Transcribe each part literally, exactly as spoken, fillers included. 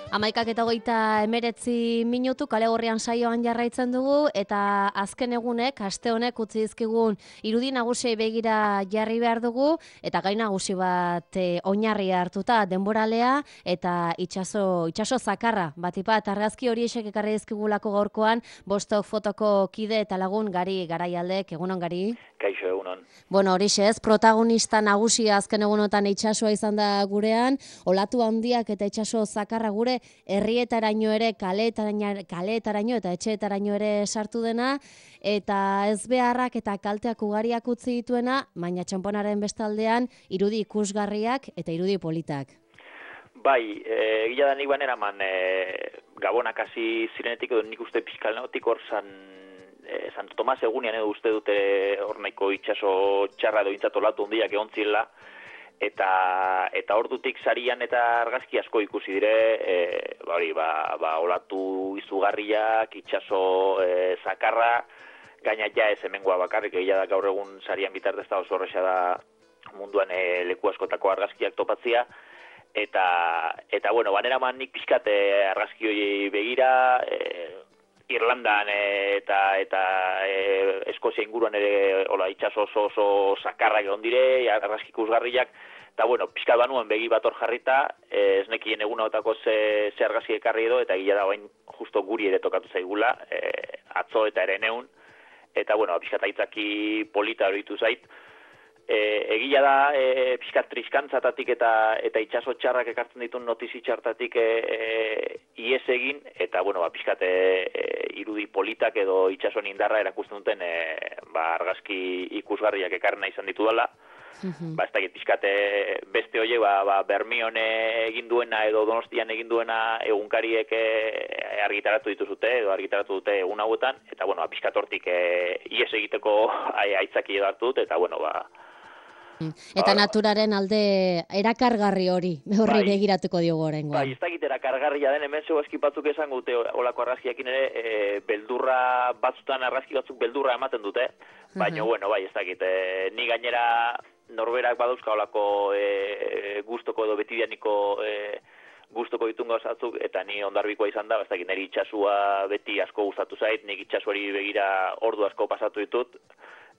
Hamaikak eta hogeita emeretzi minutu kale gorrian saioan jarraitzen dugu eta azken egunek, aste honek utzi dizkigun irudi nagusiei begira jarri behar dugu eta gai nagusi bat e, oinarri hartuta denboralea eta itsaso itsaso zakarra batipat argazki horiek ekarri dizkigulako gaurkoan bostok fotoko kide eta lagun Gari Garaialdek. Egunon, Gari? Kaixo, egunon. Bueno, horixe ez, protagonista nagusia azken egunotan itsasoa izan da gurean, olatu handiak eta itsaso zakarra gure herrietaraino ere, kaleetaraino, kaleetaraino eta etxeetaraino ere sartu dena, eta ez beharrak eta kalteak ugariak utzi dituena, baina txanponaren bestaldean irudi ikusgarriak eta irudi politak. Bai, egia da nik banera man, e, Gabonak hasi zirenetik edo nik uste pixkalneotik hor zan, e, Santo Tomas egunean edo uste dute hor nahiko itxaso txarra edo intzatolatu hondiak egon zirela, eta eta ordutik sarian eta argazki asko ikusi dire, e, bari, ba, ba, olatu izugarriak, itxaso e, zakarra, gaina ja ez hemengoa bakarrik, egia da gaur egun sarian bitartez da oso horreza da munduan e, leku askotako argazkiak topatzia, eta, eta bueno, banera man nik pixkat e, argazki hori begira, e, Irlandan e, eta eta e, Eskozia inguruan ere hola itsaso oso oso zakarrak egon dire, argazki ikusgarriak, eta bueno, pixka banuen begi bat hor jarrita, e, ez nekien egunotako ze, ze argazki ekarri edo, eta gila da bain justo guri ere tokatu zaigula, e, atzo eta ere neun, eta bueno, pixka taitzaki polita horitu zait, e, egia da e, pixka triskantzatatik eta eta itsaso txarrak ekartzen ditun notizi txartatik e, e, ies egin, eta bueno, ba, pixkat e, e, irudi politak edo itsasoen indarra erakusten duten e, ba, argazki ikusgarriak ekarrena izan ditu dela. Mm-hmm. Ba, ez da pixkate beste hoiek ba, ba, Bermion egin duena edo Donostian egin duena egunkariek e, argitaratu dituzute edo argitaratu dute egun hauetan, eta bueno, ba, pixkat hortik e, ies egiteko aitzaki edo hartu dut, eta bueno, ba, eta ba, naturaren alde erakargarri hori, horri bai, begiratuko diogu oraingoan. Bai, ez dakit erakargarria den, hemen zeu eski batzuk esan gute olako argazkiakin ere, e, beldurra batzutan argazki batzuk beldurra ematen dute, baina uh-huh. bueno, bai, ez dakit, e, ni gainera norberak badauzka olako e, gustoko edo betidianiko e, gustoko ditun gauzatzuk, eta ni ondarbikoa izan da, ez dakit, niri itxasua beti asko gustatu zait, nik itxasuari begira ordu asko pasatu ditut,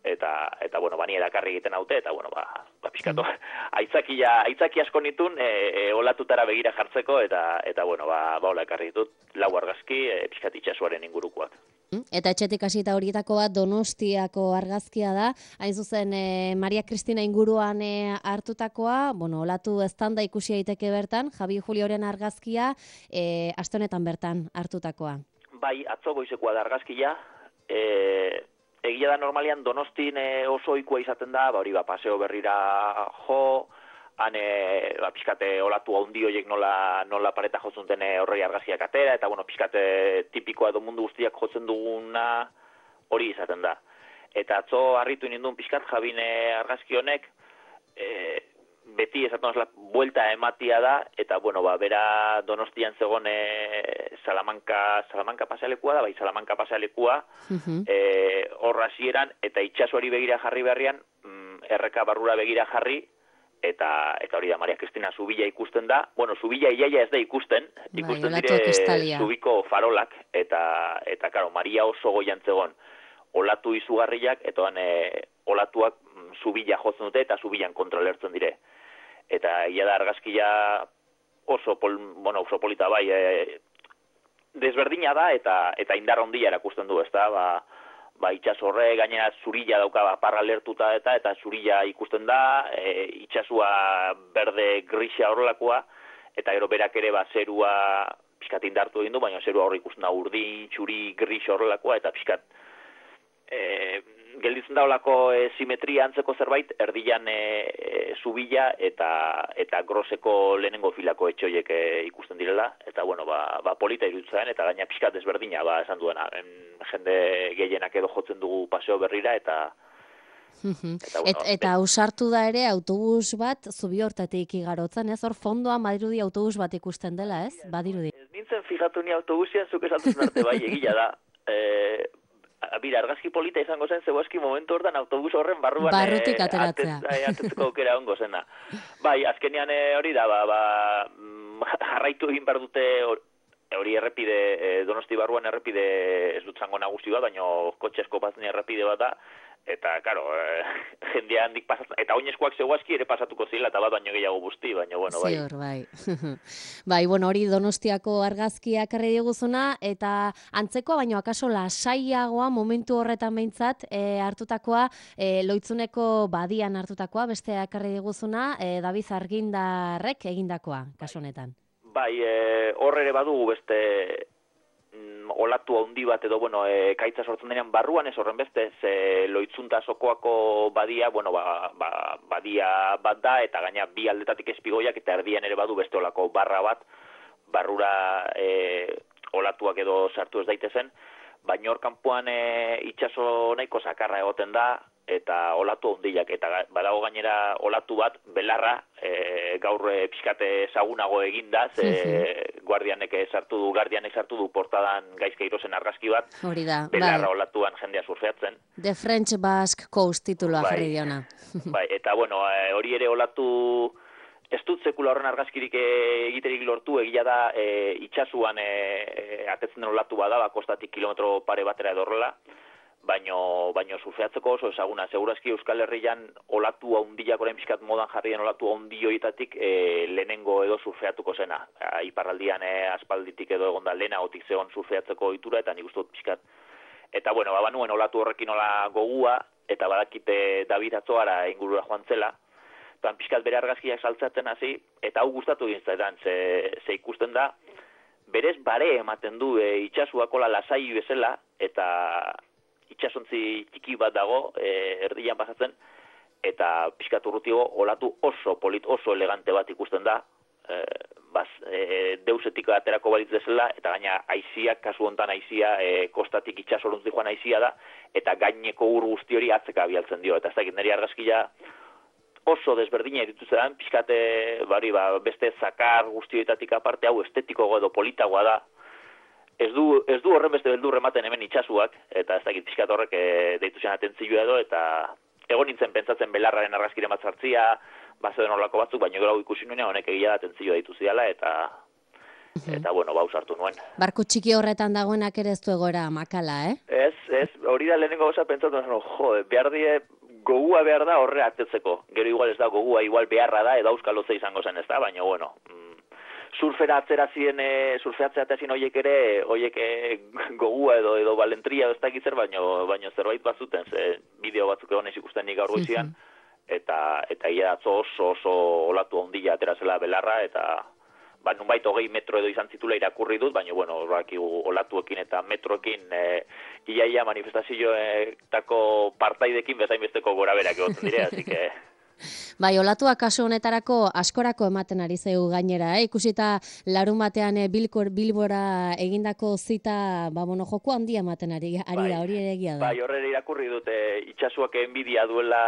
eta eta bueno, bani erakarri egiten haute, eta bueno, ba, ba pizkatu aitzakia aitzaki asko nitun e, e, olatutara begira jartzeko, eta eta bueno, ba ba hola ekarri ditut lau argazki e, pizkat itsasoaren ingurukoak. Eta etxetik hasita horietako bat Donostiako argazkia da, hain zuzen e, Maria Cristina inguruan e, hartutakoa, bueno, olatu eztanda ikusi daiteke bertan, Javi Julioren argazkia e, aste honetan bertan hartutakoa. Bai, atzo goizekoa da argazkia, e, egia da normalian Donostin e, oso ohikoa izaten da, ba hori ba paseo berrira jo, han e, ba pizkate olatu handi horiek nola nola pareta jotzen duten horri argazkiak atera, eta bueno, pizkate tipikoa edo mundu guztiak jotzen duguna hori izaten da. Eta atzo harritu ninduen pizkat Jabine argazki honek, e, beti esaten osla buelta ematia da, eta bueno, ba bera Donostian zegoen e, Salamanca Salamanca pasealekua da, bai Salamanca pasealekua, uh-huh. e, hor hasieran eta itsasoari begira jarri berrian, mm, erreka barrura begira jarri, eta eta hori da Maria Cristina Zubila ikusten da. Bueno, Zubila iaia ez da ikusten, ikusten bai, dire Zubiko farolak, eta eta claro, Maria oso goian zegoen olatu izugarriak, eta han e, olatuak Zubila jotzen dute eta Zubilan kontrolertzen dire. Eta ia da argazkia oso pol, bueno, oso polita bai, e, desberdina da eta eta indar handia erakusten du, ezta? Ba, ba itsaso horre gainera zurila dauka ba, parra lertuta eta eta zurila ikusten da, e, itsasua berde grisa horrelakoa, eta gero berak ere ba zerua pixkat indartu egin du, baina zerua hor ikusten da urdin, txuri, gris horrelakoa, eta pixkat e, gelditzen da olako e, simetria antzeko zerbait, erdian e, e, Zubila eta eta groseko lehenengo filako etxoiek e, ikusten direla, eta bueno, ba, ba polita iruditzen, eta gaina pixkat desberdina, ba esan duena, en, jende gehienak edo jotzen dugu paseo berrira, eta Eta, bueno, Et, eta ausartu da ere autobus bat Zubi hortatik igarotzen, ez? Hor fondoan badirudi autobus bat ikusten dela, ez? Badirudi. Ez nintzen fijatu ni autobusian, zuk esatuzun arte bai, egila da. E, Bira, argazki polita izango zen, zeboeski momentu hortan autobus horren barruan barrutik ateratzea. Atetzeko aukera ongo zena. Bai, azkenean hori da, ba, ba, jarraitu egin behar dute hori errepide, e, Donosti barruan errepide ez dut zango nagusi bat, baina kotxesko patzen errepide bat da, eta, karo, e, jendea handik pasatzen, eta oinezkoak zeuazki ere pasatuko zila, eta bat baino gehiago guzti, baina, bueno, bai. Zior, bai. Bai, bueno, hori Donostiako argazkiak erre diguzuna, eta antzekoa, baino akaso lasaiagoa momentu horretan behintzat, e, hartutakoa, e, Loitzuneko badian hartutakoa, beste ekarri diguzuna, e, David Argindarrek egindakoa, kasu honetan. Bai, e, hor ere badugu beste mm, olatu handi bat edo, bueno, e, kaitza sortzen denean barruan ez horren beste, ze Loitzunta sokoako badia, bueno, ba, ba, badia bat da, eta gaina bi aldetatik espigoiak, eta erdian ere badu beste olako barra bat, barrura e, olatuak edo sartu ez daitezen, baina hor kanpoan e, itxaso nahiko sakarra egoten da, eta olatu handiak, eta badago gainera olatu bat, belarra, e, gaur e, pixkate ezagunago eginda, ze guardianek sartu du, guardianek sartu du portadan Gaizkeirozen argazki bat, hori da, belarra bai. olatuan jendea surfeatzen. The French Basque Coast tituloa Bai, jarri diona. Bai, eta bueno, e, hori ere olatu, ez dut sekula horren argazkirik egiterik lortu, egia da e, itxasuan e, e, atetzen den olatu bada, kostatik kilometro pare batera edo horrela, baino, baino surfeatzeko oso ezaguna. Segurazki Euskal Herrian olatu haundiak orain pixkat modan jarrien olatu haundioitatik e, lehenengo edo surfeatuko zena. A, iparraldian e, aspalditik edo egonda lehenagotik zegoen surfeatzeko ohitura, eta nik uste dut pixkat. Eta bueno, babanuen olatu horrekin ola gogua, eta badakite David Atzoara ingurura joan zela, eta pixkat bere argazkiak saltzatzen hasi, eta hau gustatu egin zaidan, ze, ze ikusten da, berez bare ematen du e, itxasuakola lasai bezala, eta itxasontzi txiki bat dago, e, erdian pasatzen, eta pixkat urrutigo olatu oso polit, oso elegante bat ikusten da, e, baz, e, deusetik aterako balitz desela, eta gaina aiziak, kasu hontan aizia, e, kostatik itxasorontzi joan aizia da, eta gaineko ur guzti hori atzeka bialtzen dio, eta ez dakit niri argazkia oso desberdina dituzten, pixkate, bari, ba, beste zakar guztioetatik aparte, hau estetiko edo politagoa da, Ez du, ez du horren beste beldur ematen hemen itxasuak, eta ez dakit pixkat horrek e, deitu zen atentzioa edo, eta egon nintzen pentsatzen belarraren argazkiren bat zartzia, bazeuden horlako batzuk, baina gero ikusi nuen honek egia da atentzioa deitu ziala, eta, eta bueno, bauz hartu nuen. Barku txiki horretan dagoenak ere ez du egora makala, eh? Ez, ez, hori da lehenengo gauza pentsatu, no, jo, behar die, gogua behar da horre atetzeko. Gero igual ez da gogua, igual beharra da, edo auskaloze izango zen ez da, baina bueno, surfera atzera ziren, e, surfeatzea atezin horiek ere, horiek e, gogua edo edo balentria edo ez dakit zer, baino, baino zerbait bazuten, ze bideo batzuk egon ez ikusten nik gaur goizian, eta, eta ia atzo oso oso olatu ondila atera zela belarra, eta ba, nunbait hogei metro edo izan zitula irakurri dut, baina bueno, horrakigu olatuekin eta metroekin e, iaia manifestazioetako partaidekin bezain besteko gora berak egoten dire, así que... Bai, olatuak kasu honetarako askorako ematen ari zaigu gainera, eh? Ikusita larun batean eh, Bilkor Bilbora egindako zita, ba, bueno, joko handia ematen ari, ari bai, da, hori ere egia da. Bai, horre irakurri dute, itxasuak enbidia duela,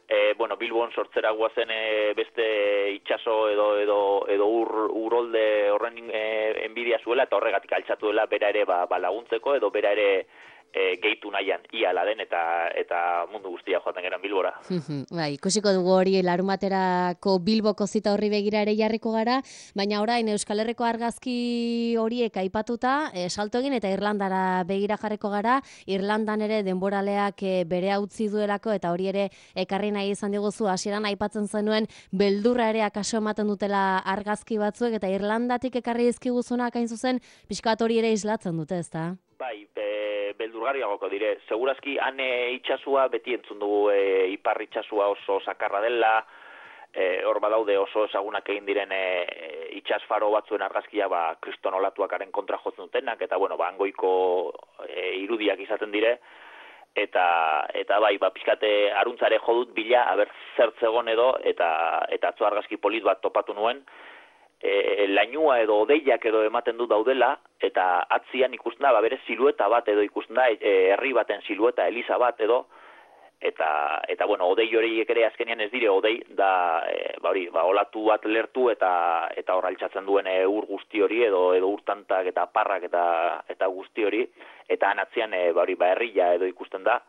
e, bueno, Bilbon sortzera guazen e, beste itxaso edo edo edo ur, urolde horren e, enbidia zuela, eta horregatik altxatu dela bera ere ba, ba laguntzeko, edo bera ere E, gehitu nahian, ia laden eta eta mundu guztia joaten geran Bilbora. Bai, ikusiko dugu hori larun baterako Bilboko zita horri begira ere jarriko gara, baina orain Euskal Herriko argazki horiek aipatuta, e, salto egin eta Irlandara begira jarriko gara, Irlandan ere denboraleak e, bere utzi duelako, eta hori ere ekarri nahi izan diguzu, hasieran aipatzen zenuen beldurra ere akaso ematen dutela argazki batzuek, eta Irlandatik ekarri dizkiguzunak hain zuzen, pixka bat hori ere islatzen dute, ezta? Bai, e, beldurgarriagoko dire. Segurazki, han e, itxasua beti entzun dugu e, ipar itxasua oso sakarra dela, e, hor badaude oso ezagunak egin diren e, itxasfaro batzuen argazkia ba, kriston olatuakaren kontra jotzen dutenak, eta bueno, ba, hangoiko e, irudiak izaten dire, eta eta bai, ba, pixkate aruntzare jodut bila, aber zertzegon edo, eta, eta atzo argazki polit bat topatu nuen, E, lainua edo odeiak edo ematen du daudela, eta atzian ikusten da, ba, bere silueta bat edo ikusten da, e, herri baten silueta, eliza bat edo, eta, eta bueno, odei horiek ere azkenean ez dire, odei da, e, ba, hori, ba, olatu bat lertu eta eta hor altxatzen duen e, ur guzti hori edo edo urtantak eta parrak eta eta guzti hori, eta han atzian e, ba, hori, ba, herria edo ikusten da.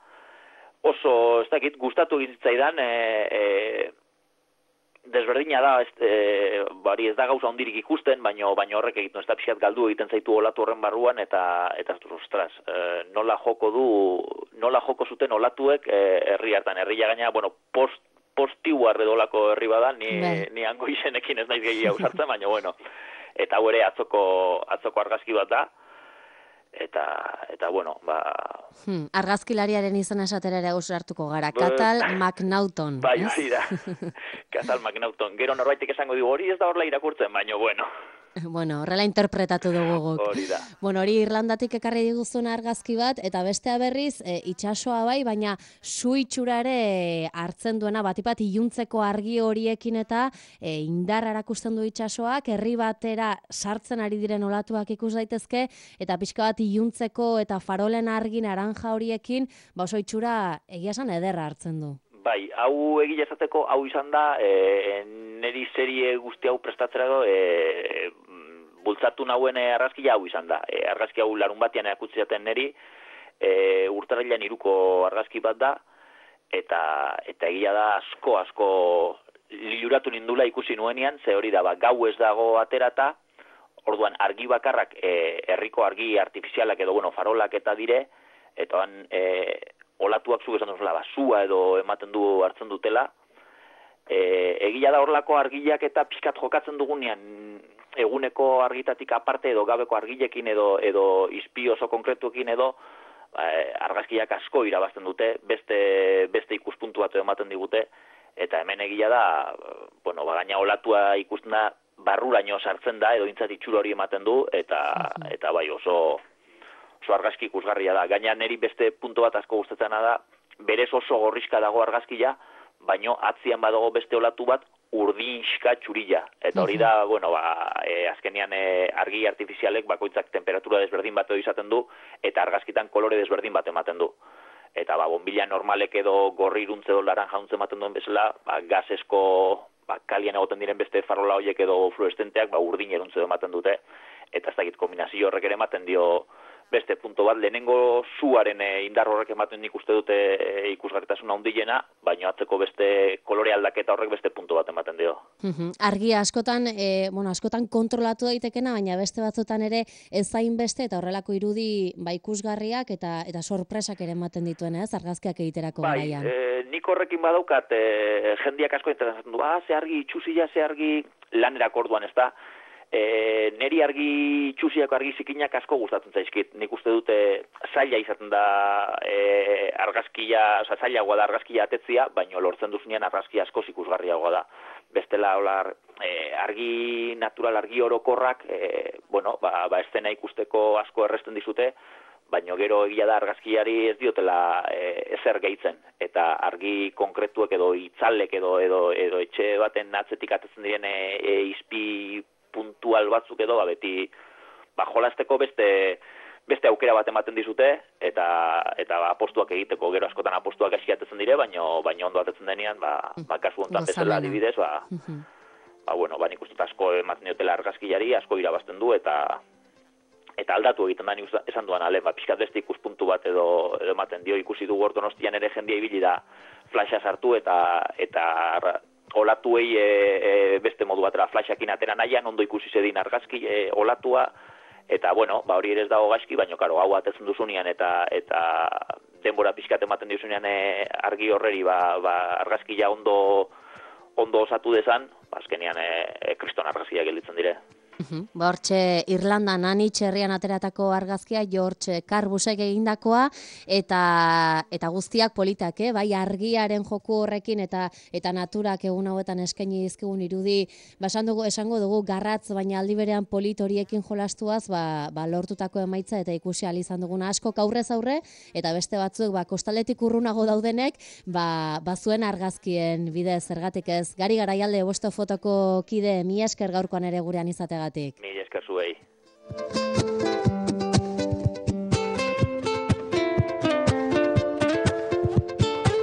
Oso, ez dakit, gustatu egizitzaidan, e, e, desberdina da, ez, e, bari ez da gauza hondirik ikusten, baino baino horrek egiten ez da pixat galdu egiten zaitu olatu horren barruan, eta eta ostras, e, nola joko du, nola joko zuten olatuek e, herri hartan, herria gaina, bueno, post postiuar edolako herri bada, ni, ni hango izenekin ez naiz gehiago sartzen, baina bueno, eta hau ere atzoko, atzoko argazki bat da, eta, eta bueno, ba... Hmm, argazkilariaren izan esatera ere hartuko gara, Cathal McNaughton. Bai, hori da, Cathal McNaughton. Gero norbaitek esango digu, hori ez da horla irakurtzen, baina bueno... Bueno, horrela interpretatu dugu guk. Hori da. Bueno, hori Irlandatik ekarri diguzun argazki bat, eta bestea berriz, e, itsasoa bai, baina su itxurare hartzen duena, batipat iluntzeko argi horiekin eta e, indar erakusten du itsasoak, herri batera sartzen ari diren olatuak ikus daitezke, eta pixka bat iluntzeko eta farolen argi naranja horiekin, ba oso itxura egia esan ederra hartzen du. Bai, hau egia esateko, hau izan da, e, neri serie guzti hau prestatzera do, e, bultzatu nauen argazkia hau izan da. E, argazki hau larun batean erakutsi zaten neri, e, urtarrilean iruko argazki bat da, eta eta egia da asko, asko liluratu nindula ikusi nuenean, ze hori da, ba, gau ez dago aterata, orduan argi bakarrak, e, herriko argi artifizialak edo, bueno, farolak eta dire, eta han, e, olatuak zuk esan duzula, basua edo ematen du hartzen dutela. E, egia da horlako argiak eta pixkat jokatzen dugunean eguneko argitatik aparte edo gabeko argilekin edo edo izpi oso konkretuekin edo e, argazkiak asko irabazten dute, beste beste ikuspuntu bat ematen digute, eta hemen egia da, bueno, ba, gaina olatua ikusten da barruraino sartzen da edo intzat itxura hori ematen du, eta eta bai oso oso argazki ikusgarria da. Gaina neri beste puntu bat asko gustatzen da, berez oso gorrizka dago argazkia, baino atzian badago beste olatu bat urdinxka txurila. Eta hori da, bueno, ba, e, azkenean e, argi artifizialek bakoitzak temperatura desberdin bat izaten du, eta argazkitan kolore desberdin bat ematen du. Eta ba, bombilla normalek edo gorri iruntze edo laranja untze ematen duen bezala, ba, gazesko, ba, kalian egoten diren beste farola horiek edo fluorescenteak, ba, urdin eruntze ematen dute, eta ez dakit kombinazio horrek ere ematen dio beste punto bat, lehenengo zuaren e, indar horrek ematen nik uste dute e, ikusgarritasuna handiena, baina atzeko beste kolore aldaketa horrek beste punto bat ematen dio. Uh-huh. Argia askotan, e, bueno, askotan kontrolatu daitekena, baina beste batzutan ere ez zain beste eta horrelako irudi ba ikusgarriak eta eta sorpresak ere ematen dituen, ez? Argazkiak egiterako bai, garaian. Bai, e, nik horrekin badaukat e, jendiak asko interesatzen du, ah, ze argi itxusila, ze argi lanerako orduan, ez da? E, neri argi txusiako argi zikinak asko gustatzen zaizkit. Nik uste dute zaila izaten da e, argazkia, oza, zailagoa da argazkia atetzia, baina lortzen duzunean argazkia asko ikusgarriagoa da. Bestela holar, e, argi natural, argi orokorrak, e, bueno, ba, ba eszena ikusteko asko erresten dizute, baina gero egia da argazkiari ez diotela e, ezer gehitzen. Eta argi konkretuek edo itzalek edo, edo, edo etxe baten atzetik atetzen diren e, e, izpi puntual batzuk edo, ba, beti ba, jolasteko beste beste aukera bat ematen dizute, eta eta ba, apostuak egiteko, gero askotan apostuak eskiatetzen dire, baino baino ondo atetzen denean, ba, ba kasu hontan bezala adibidez, ba, ba, bueno, ba, nik uste asko ematen diotela argazkilari, asko irabazten du, eta eta aldatu egiten da, nik esan duan, ale, ba, pixkat beste ikuspuntu bat edo, edo ematen dio, ikusi du Donostian ere jendia ibili da flasha sartu, eta eta olatuei e, e, beste modu batera flashakin atera nahian, ondo ikusi zedin argazki e, olatua, eta bueno, ba hori ere ez dago gaizki, baina karo, hau atetzen duzunean eta eta denbora pixkat ematen dizunean e, argi horreri ba, ba, argazkia ondo ondo osatu dezan, ba, azkenean e, e, kriston argazkia gelditzen dire. Uh-huh. Ba, hortxe Irlandan anitz herrian ateratako argazkia George Carbusek egindakoa eta eta guztiak politak, eh? Bai argiaren joku horrekin eta eta naturak egun hauetan eskaini dizkigun irudi, ba esan dugu, esango dugu garratz, baina aldi berean polit horiekin jolastuaz, ba, ba lortutako emaitza eta ikusi ahal izan duguna asko aurrez aurre eta beste batzuk ba kostaletik urrunago daudenek, ba bazuen argazkien bidez zergatik ez. Gari Garaialde bosto fotoko kide, mi esker gaurkoan ere gurean izategatik. Mila esker zuei.